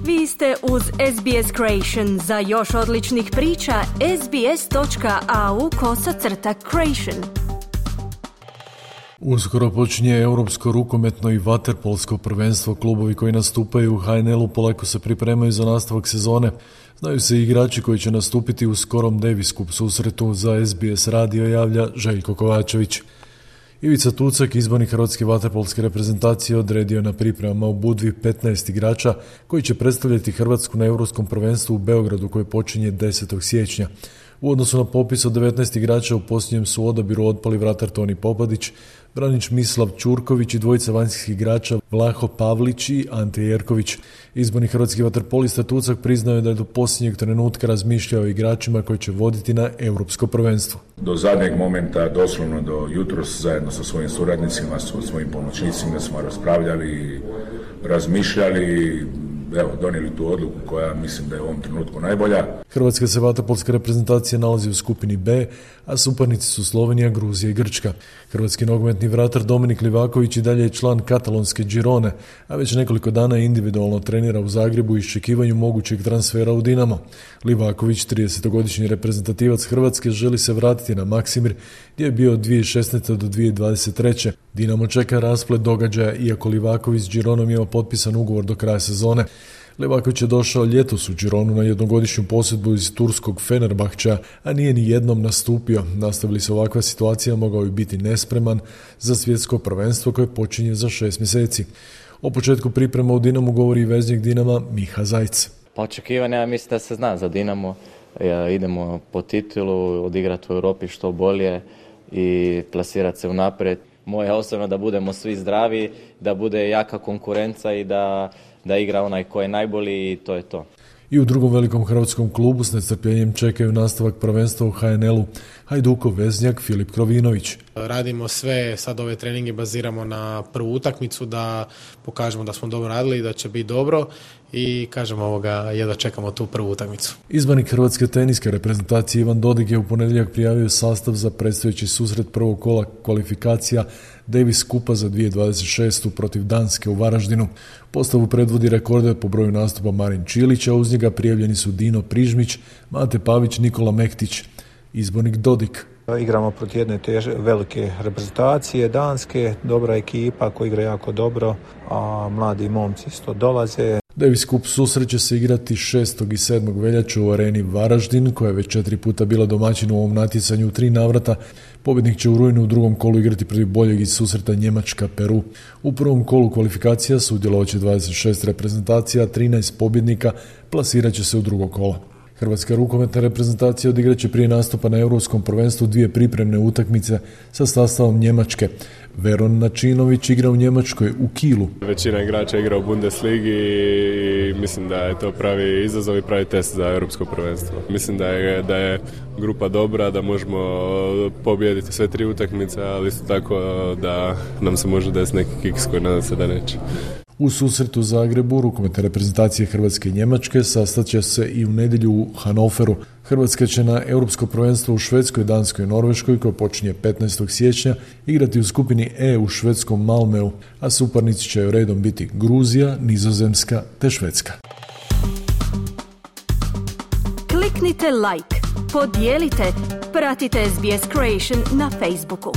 Vi ste uz SBS Creation. Za još odličnih priča, sbs.au/creation. Uskoro počinje europsko rukometno i vaterpolsko prvenstvo. Klubovi koji nastupaju u HNL-u polako se pripremaju za nastavak sezone. Znaju se i igrači koji će nastupiti u skorom Davis Cup susretu. Za SBS radio javlja Željko Kovačević. Ivica Tucak, izbornik hrvatske vaterpolske reprezentacije, odredio na pripremama u Budvi 15 igrača koji će predstavljati Hrvatsku na europskom prvenstvu u Beogradu koje počinje 10. siječnja. U odnosu na popis od 19 igrača u posljednjem su odabiru otpali vratar Toni Popadić, branič Mislav Ćurković i dvojica vanjskih igrača Vlaho Pavlić i Ante Jerković. Izborni hrvatski vaterpolista Tucak priznao je da je do posljednjeg trenutka razmišljao o igračima koji će voditi na europsko prvenstvo. Do zadnjeg momenta, doslovno do jutros, zajedno sa svojim suradnicima, sa svojim pomoćnicima smo raspravljali, razmišljali, donijeli tu odluku koja mislim da je u ovom trenutku najbolja. Hrvatska se vaterpolska reprezentacija nalazi u skupini B, a suparnici su Slovenija, Gruzija i Grčka. Hrvatski nogometni vratar Dominik Livaković i dalje je član katalonske Girone, a već nekoliko dana individualno trenira u Zagrebu u iščekivanju mogućeg transfera u Dinamo. Livaković, 30-godišnji reprezentativac Hrvatske, želi se vratiti na Maksimir, gdje je bio od 2016. do 2023. Dinamo čeka rasplet događaja, iako Livaković s Gironom ima potpisan ugovor do kraja sezone. Livaković je došao ljetos u Gironu na jednogodišnju posjetbu iz turskog Fenerbahča, a nije ni jednom nastupio. Nastavili se ovakva situacija, mogao bi biti nespreman za svjetsko prvenstvo koje počinje za 6 mjeseci. O početku priprema u Dinamu govori i veznik Dinama Miha Zajc. Pa očekivanja, ja mislim da se zna za Dinamo. Idemo po titulu, odigrati u Europi što bolje i plasirati se unaprijed. Moje osobno da budemo svi zdravi, da bude jaka konkurencija i da igra onaj ko je najbolji i to je to. I u drugom velikom hrvatskom klubu s nestrpljenjem čekaju nastavak prvenstva u HNL-u. Hajdukov veznjak Filip Krovinović. Radimo sve, sad ove treninge baziramo na prvu utakmicu da pokažemo da smo dobro radili i da će biti dobro i kažemo jedva čekamo tu prvu utakmicu. Izbornik hrvatske teniske reprezentacije Ivan Dodig je u ponedjeljak prijavio sastav za predstojeći susret prvog kola kvalifikacija Davis Cupa za 2026. protiv Danske u Varaždinu. Postavu predvodi rekorde po broju nastupa Marin Čilić, a uz njega prijavljeni su Dino Prižmić, Mate Pavić, Nikola Mektić. Izbornik Dodik. Igramo protiv jedne velike reprezentacije Danske, dobra ekipa koja igra jako dobro, a mladi momci isto dolaze. Davis Cup susret će se igrati 6. i 7. veljače u areni Varaždin, koja je već 4 puta bila domaćin u ovom natjecanju u 3 navrata. Pobjednik će u rujnu u drugom kolu igrati protiv boljeg iz susreta Njemačka-Peru. U prvom kolu kvalifikacija sudjelovat će 26 reprezentacija, 13 pobjednika plasirat će se u drugo kolo. Hrvatska rukometna reprezentacija odigrat će prije nastupa na europskom prvenstvu 2 pripremne utakmice sa sastavom Njemačke. Veron Načinović igra u Njemačkoj u Kielu. Većina igrača igra u Bundesligi i mislim da je to pravi izazov i pravi test za europsko prvenstvo. Mislim da je grupa dobra, da možemo pobijediti sve 3 utakmice, ali isto tako da nam se može desiti neki kiks koji nadam se da neće. U susretu u Zagrebu rukometne reprezentacije Hrvatske i Njemačke sastat će se i u nedjelju u Hanoveru. Hrvatska će na europsko prvenstvo u Švedskoj, Danskoj i Norveškoj, koje počinje 15. siječnja, igrati u skupini E u švedskom Malmeu, a suparnici će redom biti Gruzija, Nizozemska te Švedska. Kliknite like, podijelite, pratite SBS Creation na Facebooku.